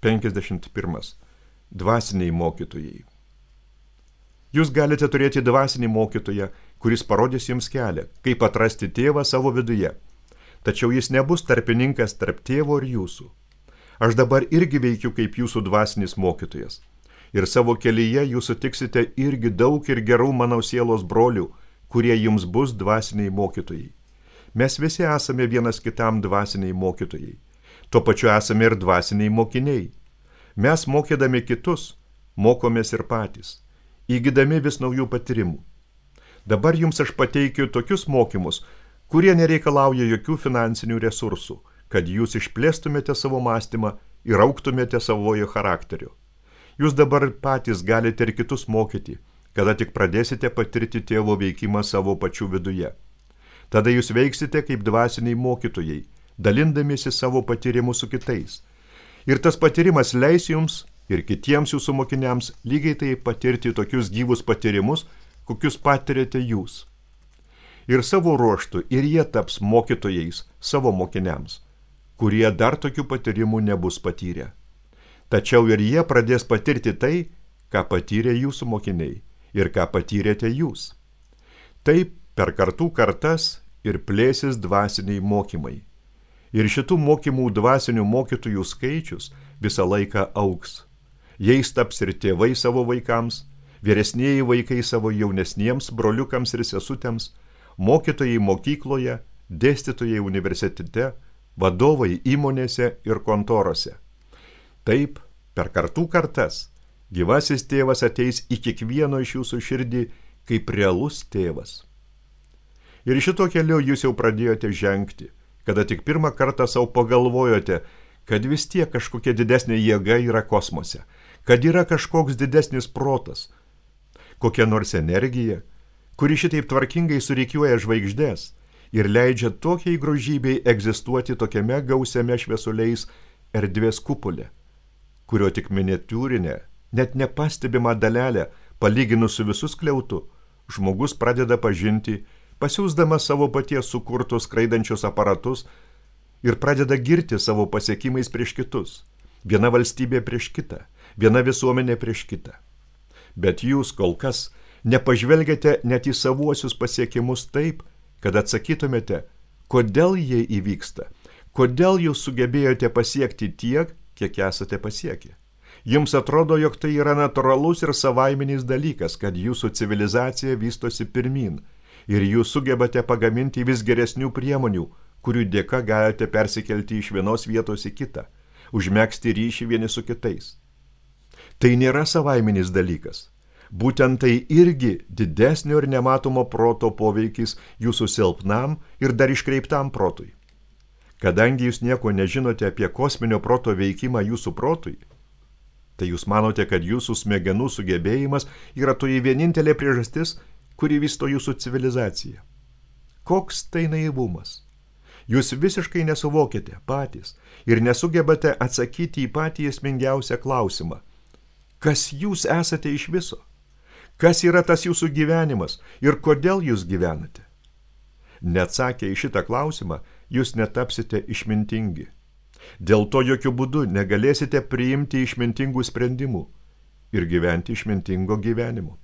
51. Dvasiniai mokytojai. Jūs galite turėti dvasinį mokytoją, kuris parodys jums kelią, kaip atrasti tėvą savo viduje. Tačiau jis nebus tarpininkas tarp tėvo ir jūsų. Aš dabar irgi veikiu kaip jūsų dvasinis mokytojas. Ir savo kelyje jūs sutiksite irgi daug ir gerų mano sielos brolių, kurie jums bus dvasiniai mokytojai. Mes visi esame vienas kitam dvasiniai mokytojai. Tuo pačiu esame ir dvasiniai mokiniai. Mes mokydami kitus, mokomės ir patys, įgydami vis naujų patyrimų. Dabar jums aš pateikiu tokius mokymus, kurie nereikalauja jokių finansinių resursų, kad jūs išplėstumėte savo mąstymą ir augtumėte savojo charakteriu. Jūs dabar patys galite ir kitus mokyti, kada tik pradėsite patirti tėvo veikimą savo pačių viduje. Tada jūs veiksite kaip dvasiniai mokytojai, dalindamiesi savo patyrimu su kitais. Ir tas patyrimas leis jums ir kitiems jūsų mokiniams lygiai tai patirti tokius gyvus patyrimus, kokius patirėte jūs. Ir savo ruoštų ir jie taps mokytojais savo mokiniams, kurie dar tokių patyrimų nebus patyrę. Tačiau ir jie pradės patirti tai, ką patyrė jūsų mokiniai ir ką patyrėte jūs. Taip per kartų kartas ir plėsis dvasiniai mokymai. Ir šitų mokymų dvasinių mokytojų skaičius visą laiką augs. Jais taps ir tėvai savo vaikams, vyresnieji vaikai savo jaunesniems broliukams ir sesutėms, mokytojai mokykloje, dėstytojai universitete, vadovai įmonėse ir kontorose. Taip, per kartų kartas, gyvasis tėvas ateis į kiekvieno iš jūsų širdį kaip realus tėvas. Ir šito keliu jūs jau pradėjote žengti, kada tik pirmą kartą savo pagalvojote, kad vis tiek kažkokia didesnė jėga yra kosmose, kad yra kažkoks didesnis protas, kokia nors energija, kuri šitaip tvarkingai surikiuoja žvaigždės ir leidžia tokiai grožybei egzistuoti tokiame gausiame šviesuliais erdvės kupole, kurio tik miniatiūrinė, net nepastebima dalelė, palyginus su visu skliautu, žmogus pradeda pažinti, pasiūsdamas savo paties sukurtus skraidančius aparatus ir pradeda girti savo pasiekimais prieš kitus, viena valstybė prieš kitą, viena visuomenė prieš kitą. Bet jūs kol kas nepažvelgiate net į savuosius pasiekimus taip, kad atsakytumėte, kodėl jie įvyksta, kodėl jūs sugebėjote pasiekti tiek, kiek esate pasiekę. Jums atrodo, jog tai yra natūralus ir savaiminis dalykas, kad jūsų civilizacija vystosi pirmyn ir jūs sugebate pagaminti vis geresnių priemonių, kurių dėka galite persikelti iš vienos vietos į kitą, užmegzti ryšį vieni su kitais. Tai nėra savaiminis dalykas. Būtent tai irgi didesnio ir nematomo proto poveikis jūsų silpnam ir dar iškreiptam protui. Kadangi jūs nieko nežinote apie kosminio proto veikimą jūsų protui, tai jūs manote, kad jūsų smegenų sugebėjimas yra toji vienintelė priežastis, kuri vysto jūsų civilizaciją. Koks tai naivumas? Jūs visiškai nesuvokite patys ir nesugebate atsakyti į patį esmingiausią klausimą. Kas jūs esate iš viso? Kas yra tas jūsų gyvenimas ir kodėl jūs gyvenate? Neatsakę į šitą klausimą, jūs netapsite išmintingi. Dėl to jokių būdų negalėsite priimti išmintingų sprendimų ir gyventi išmintingo gyvenimo.